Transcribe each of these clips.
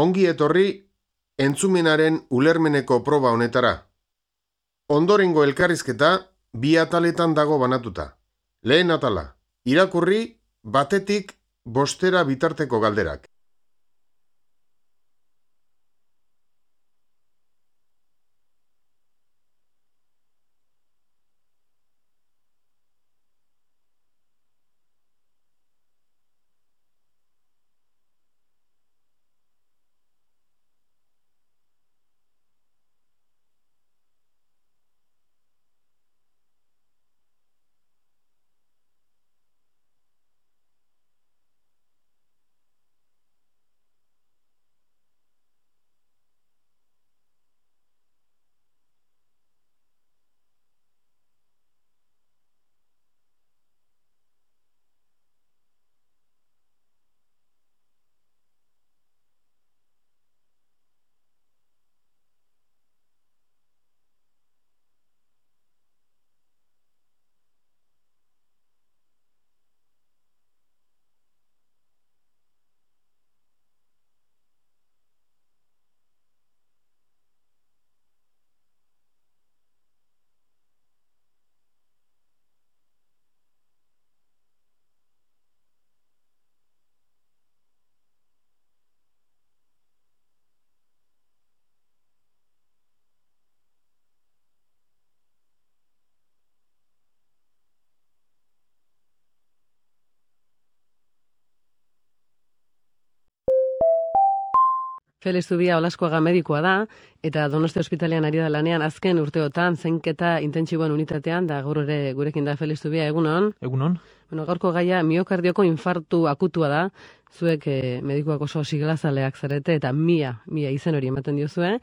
Ongi etorri entzumenaren ulermeneko proba honetara. Ondorengo elkarrizketa bi ataletan dago banatuta. Lehen atala, irakurri batetik 5 bitarteko galderak. Felix Zubia Olaskoaga medikoa da, eta Donostia ospitalean ari da lanean azken urteotan zainketa intentsiboen unitatean, da gaur ere gurekin da Felix Zubia, egunon? Egunon. Bueno, gaurko gaia miokardioko infartu akutua da, zuek medikoak oso siglazaleak zarete, eta mia izen hori ematen diozue.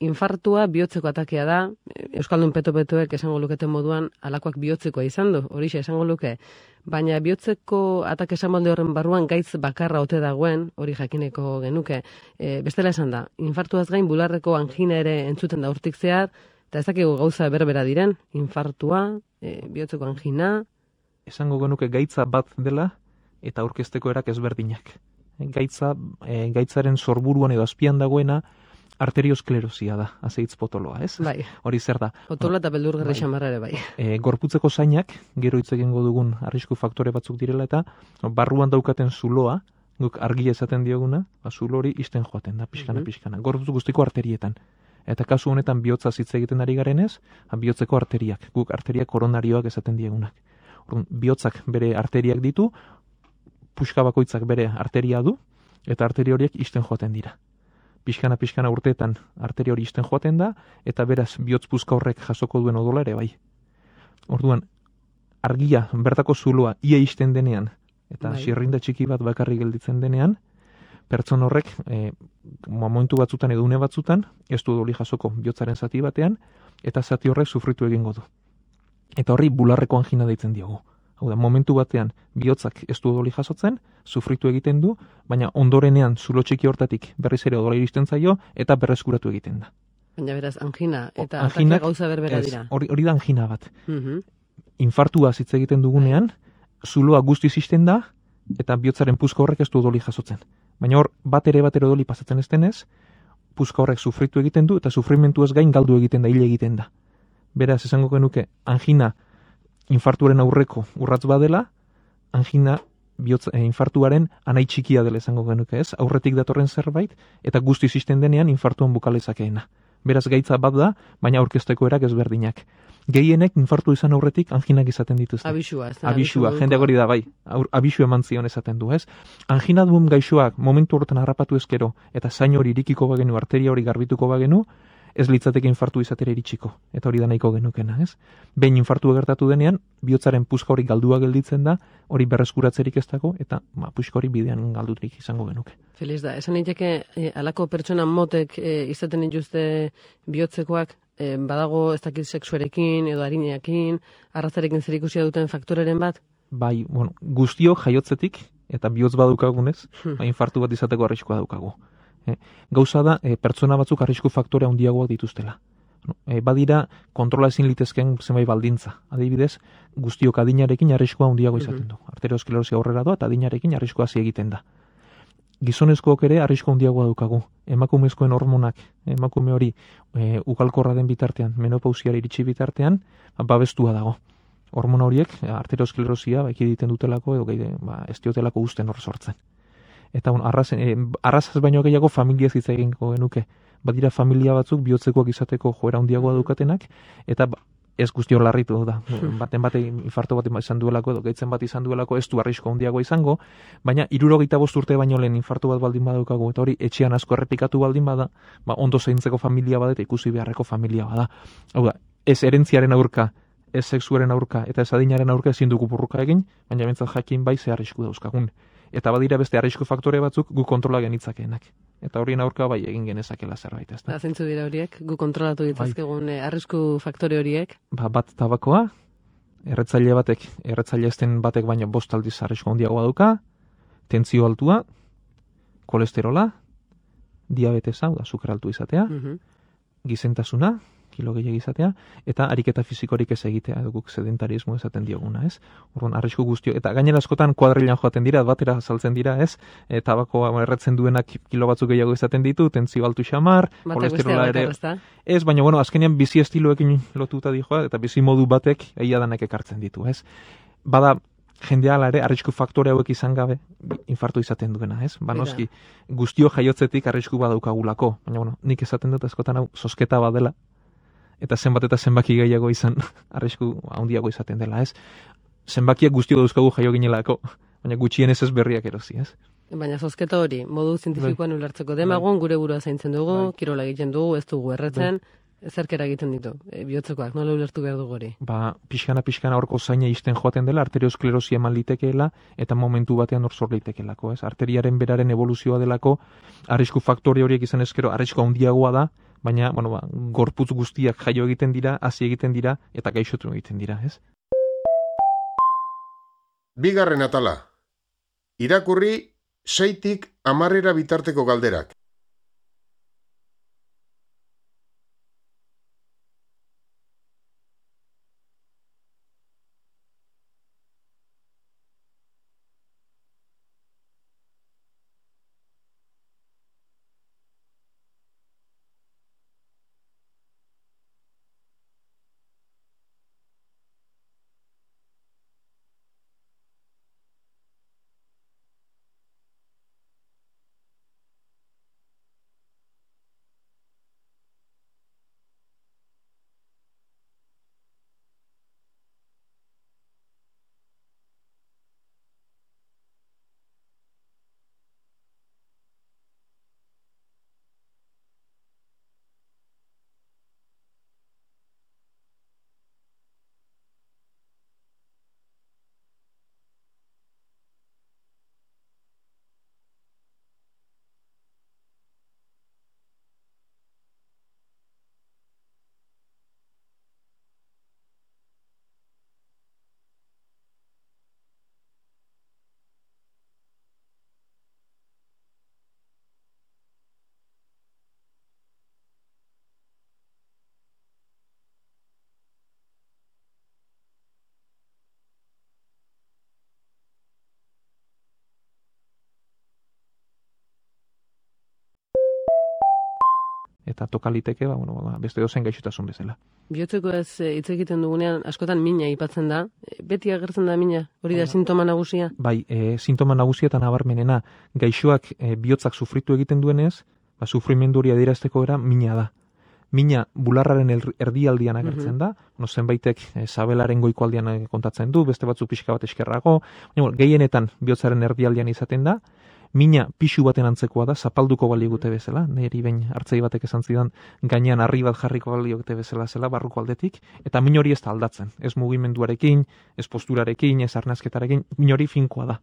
Infartua bihotzeko atakea da, Euskaldun peto-petoek esango luketen moduan alakoak bihotzekoa izan du, horixe esango luke. Baina bihotzeko atake esan molde horren barruan gaitz bakarra ote dagoen, hori jakineko genuke. Bestela esan da, infartuaz gain bularreko angina ere entzuten da urtik zehar, eta ez dakigu gauza berbera diren, infartua, bihotzeko angina. Esango genuke gaitza bat dela eta aurkezteko erak ezberdinak. Gaitzaren sorburuan edo azpian dagoena arteriosklerosia da, azeitz potoloa, ez? Bai. Hori zer da? Potoloa eta beldurgarri xamarra ere bai. Gorputzeko zainak, gero hitz egingo dugun arrisku faktore batzuk direla eta barruan daukaten zuloa, guk argia esaten dioguna, zulo hori isten joaten da, pixkana. Gorputz guztiko arterietan. Eta kasu honetan bihotza hitz egiten ari garenez, bihotzeko arteriak, guk arteria koronarioak esaten diegunak. Bihotzak bere arteriak ditu, puska bakoitzak bere arteria du, eta arteria horiek isten joaten dira. Pixkana urteetan arteria hori isten joaten da, eta beraz bihotz puska horrek jasoko duen odola ere bai. Orduan, argia bertako zuloa ia isten denean, eta xirrinda txiki bat bakarrik gelditzen denean, pertson horrek momentu batzutan edo une batzutan, ez du odoli jasoko bihotzaren zati batean, eta zati horrek sufritu egingo du. Eta horri bularreko angina deitzen diogu. Hau da, momentu batean bihotzak ez du odoli jasotzen, sufritu egiten du, baina ondorenean zulo txiki hortatik berriz ere odola iristen zaio eta berreskuratu egiten da. Baina beraz, angina eta atakia gauza berbera dira. Hori da angina bat. Infartua hitz egiten dugunean, zuloa guztiz isten da eta bihotzaren puska horrek ez du odoli jasotzen. Baina hor, bat ere odoli pasatzen ez denez, puska horrek sufritu egiten du eta sufrimentu ez gain galdu egiten da, hil egiten da. Beraz, esango genuke, angina infartuaren aurreko urratz badela, angina infartuaren anai txikia dela esango genuke, ez? Aurretik datorren zerbait, eta guztiz isten denean infartuan bukalezakeena. Beraz, gaitza bat da, baina aurkezteko erak ezberdinak. Gehienek infartu izan aurretik anginak izaten dituzte. Abisua, ez da? Abisua, jendeak hori da, bai. Abisu eman zion esaten du, ez? Angina duen gaixoak momentu horretan harrapatu ezkero, eta zain hori irikiko bagenu, arteria hori garbituko bagenu, ez litzateke infartu izatera iritsiko, eta hori da nahiko genukena, ez? Behin infartu gertatu denean, bihotzaren puska hori galdua gelditzen da, hori berreskuratzerik ez dago, eta puska hori bidean galdutik izango genuke. Feliz da, esan daiteke halako pertsona motek izaten dituzte bihotzekoak, badago ez dakit sexuarekin edo arineakin, arrazarekin zerikusia duten faktoreren bat? Bai, guztiok jaiotzetik, eta bihotz badukagunez, infartu bat izateko arriskua daukagu. Gauza da, pertsona batzuk arrisku faktore handiagoak dituztela. Badira, kontrola ezin litezken zenbait baldintza. Adibidez, guztiok adinarekin arriskua handiago izaten du. Arteriosklerosia aurrera doa eta adinarekin arriskua hazi egiten da. gizonezkoak ere arrisku handiagoa daukagu. Emakumezkoen hormonak, emakume hori ugalkorra den bitartean, menopausiara iritsi bitartean, babestua dago. Hormona horiek, arteriosklerosia, ekiditen dutelako, edo ez diotelako uzten hor sortzen. Eta arrazaz baino gehiago familiaz hitz egingo genuke. Badira familia batzuk bihotzekoak izateko joera handiagoa daukatenak, eta ez guzti hor larritu da. Baten infarto bat izan duelako, edo gaitzen bat izan duelako, ez du arrisko handiagoa izango, baina 65 urte baino lehen infarto bat baldin badaukagu, eta hori etxean asko errepikatu baldin bada, ondo zaintzeko familia bada eta ikusi beharreko familia bada. Hau da, ez erentziaren aurka, ez sexuaren aurka eta ez adinaren aurka ezin dugu burruka egin, baina bentsat jakin bai ze arrisku dauzkagun. Eta badira beste arrisku faktore batzuk gu kontrola genitzakeenak. Eta horien aurka bai egin genezakela zerbait, ezta. Zeintzu dira horiek, gu kontrolatu ditzazkegun arrisku faktore horiek? Bat tabakoa, erretzaile ezten batek baino 5 aldiz arrisku handiagoa dauka, tentsio altua, kolesterola, diabetesa, da sukar altu izatea, gizentasuna, kilo gehiago izatea, eta ariketa fizikorik ez egitea, guk sedentarismo esaten dioguna, ez? Orduan, arrisku guztio, eta gainera askotan kuadrilan joaten dira, batera saltzen dira, ez? Tabakoa erretzen duenak kilo batzuk gehiago izaten ditu, tentsio altu xamar, kolesterola ere. Ez, baina, azkenean bizi estiloekin lotuta dijoa, eta bizi modu batek egia danak ekartzen ditu, ez? Bada, jendea ere arrisku faktore hauek izan gabe infarto izaten duena, ez? Noski, guztio jaiotzetik arrisku badaukagulako, baina, nik esaten dut askotan hau zozketa badela, eta zenbat eta zenbaki gehiago izan arrisku handiago izaten dela, ez? Zenbakiak guztio dauzkagu jaio ginelako, baina gutxienez ez berriak erosi, ez? Baina zozketa hori, modu zientifikoan ulertzeko demagun, gure burua zaintzen dugu, kirola egiten dugu, ez dugu erretzen, zerkera egiten ditu, bihotzekoak, nola ulertu behar dugu hori? Pixkana horko zaina izten joaten dela, arteriosklerosia eman litekeela, eta momentu batean hor zor litekeelako, ez? Arteriaren beraren evoluzioa delako, arrisku faktore horiek izan ezkero, arrisku handiagoa da, baina, gorputz guztiak jaio egiten dira, hasi egiten dira, eta gaixotu egiten dira, ez? Bigarren atala. Irakurri 6tik 10 bitarteko galderak. Eta tokaliteke, beste dozen gaixotasun bezala. Bihotzeko ez hitz egiten dugunean, askotan mina aipatzen da. Beti agertzen da mina, hori da sintoma nagusia? Bai, sintoma nagusia eta nabarmenena. Gaixoak bihotzak sufritu egiten duenez, sufrimendu hori adierazteko era mina da. Mina bularraren erdialdian agertzen da, zenbaitek sabelaren goiko aldian kontatzen du, beste batzu pixka bat eskerrago, gehienetan bihotzaren erdialdian izaten da. Mina pixu baten antzekoa da, zapalduko baligute bezala, niri behin hartzei batek esan zidan, gainean harri bat jarriko baligute bezala zela, barruko aldetik, eta min hori ez da aldatzen, ez mugimenduarekin, ez posturarekin, ez arnazketarekin, min hori finkoa da.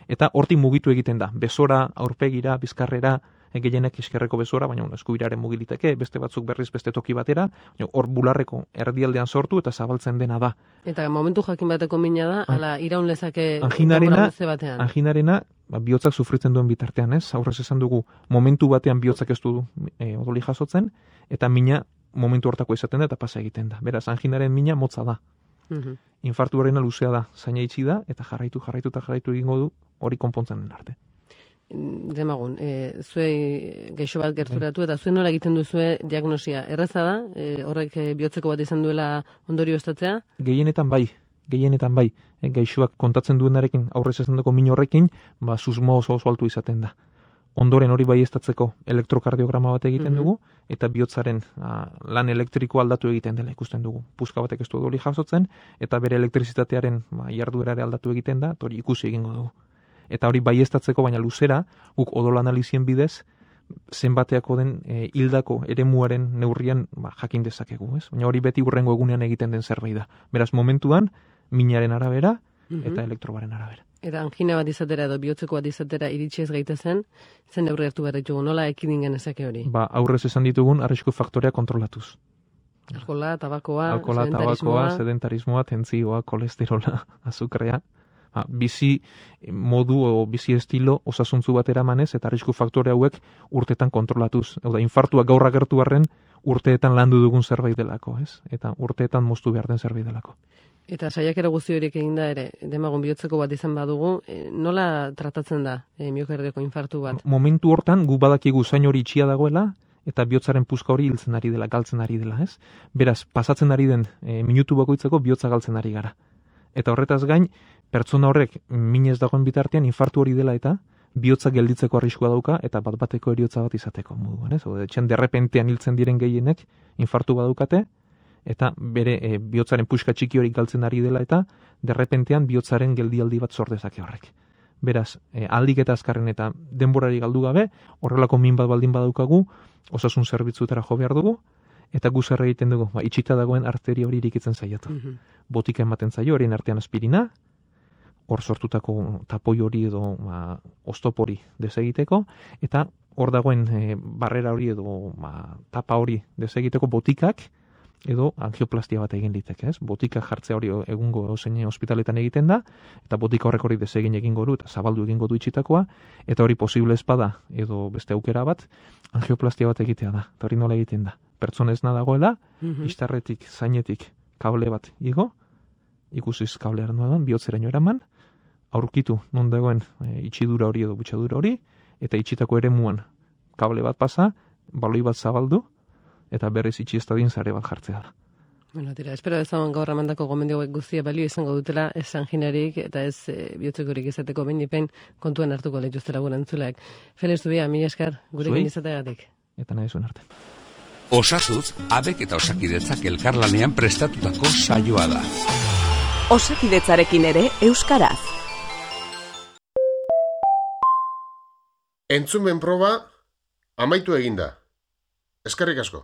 Eta hortik mugitu egiten da, bezora, aurpegira, bizkarrera, gehienek eskerreko bezora, baina eskubiraren mugiliteke, beste batzuk berriz beste toki batera, hor bularreko erdialdean sortu eta zabaltzen dena da. Eta momentu jakin bateko mina da, ala iraun lezake anginarena, bihotzak sufritzen duen bitartean, ez? Aurrez esan dugu, momentu batean bihotzak ez du odoli jasotzen, eta mina momentu hortako izaten da eta pasa egiten da. Beraz, anginaren mina motza da. Infartu horrena luzea da, zaina itxi da, eta jarraitu egingo du hori konpontzen den arte. demagun, zuei gaixo bat gerturatu eta zuen nola egiten duzue diagnosia? Erraza da, horrek bihotzeko bat izan duela ondorio estatzea? Gehienetan bai. Gaixoak kontatzen duenarekin, aurrez esan duko min horrekin, susmo oso altu izaten da. Ondoren hori baieztatzeko elektrokardiograma bat egiten dugu, eta bihotzaren lan elektriko aldatu egiten dela ikusten dugu. Puska batek ez du hori jasotzen, eta bere elektrizitatearen jarduerare aldatu egiten da, eta hori ikusi egingo dugu. Eta hori baieztatzeko, baina luzera, guk odol analizien bidez, zenbateako den hildako eremuaren neurrian jakin dezakegu, ez? Baina hori beti hurrengo egunean egiten den zerbait da. Beraz, momentuan, minaren arabera eta elektrobaren arabera. Eta angina bat izatera edo bihotzeko bat izatera iritsi ez gaitezen, zen neurri hartu behar ditugu, nola ekidin genezake hori? Aurrez esan ditugun, arrisku faktorea kontrolatuz. Alkohola, tabakoa, sedentarismoa, tentzioa, kolesterola, azukrea. Bizi modu o bizi estilo osasuntzu bat eramanez eta arrisku faktore hauek urteetan kontrolatuz. Hau da, infartua gaur agertu arren urteetan landu dugun zerbait delako, ez? Eta urteetan moztu behar den zerbait delako. Eta saiakera guzti horiek eginda ere, demagun bihotzeko bat izan badugu, nola tratatzen da miokardioko infartu bat? Momentu hortan, gu badakigu zain hori itxia dagoela, eta bihotzaren puska hori hiltzen ari dela, galtzen ari dela, ez? Beraz, pasatzen ari den minutu bakoitzeko bihotza galtzen ari gara. Eta horretaz gain, pertsona horrek minez dagoen bitartean infartu hori dela eta bihotza gelditzeko arriskua dauka eta bat-bateko heriotza bat izateko moduan, ez? Etxen derrepentean hiltzen diren gehienek infartu badukate eta bere bihotzaren puska txiki hori galtzen ari dela eta derrepentean bihotzaren geldialdi bat sor dezake horrek. Beraz, aldik eta azkarren eta denborari galdu gabe, horrelako min bat baldin badaukagu, osasun zerbitzuetara jo behar dugu, eta gu zer egiten dugu, itxita dagoen arteria hori irikitzen saiatu. Botika ematen zaio, horien artean aspirina, hor sortutako tapoi hori edo oztopori desegiteko, eta hor dagoen barrera hori edo tapa hori desegiteko botikak edo angioplastia bat egin liteke, ez? Botika jartzea hori egungo zein ospitaletan egiten da, eta botika horrek hori desegin egingo du, eta zabaldu egingo du itxitakoa, eta hori posible espada edo beste aukera bat, angioplastia bat egitea da, eta hori nola egiten da. Pertsonezna dagoela, istarretik, zainetik, kable bat igo, ikusiz kablearen duan, bihotzeraino eraman, aurkitu non dagoen itxidura hori edo butxadura hori, eta itxitako eremuan kable bat pasa, baloi bat zabaldu, eta berriz itxi estadien zare bat jartzea da. Bueno, tira, espero ezagun gaur amandako gomendio guztia balio izango dutela, ez anginarik eta ez bihotzekorik izateko behin kontuan hartuko lehituztera gure entzuleak. Felix Zubia, mila esker, gurekin izateagatik. Eta nahi zuen arte. Osasuz, abek eta osakidetzak elkarlanean prestatutako saioa da. Osakidetzarekin ere euskaraz. Entzumen proba amaitu eginda. Eskerrik asko.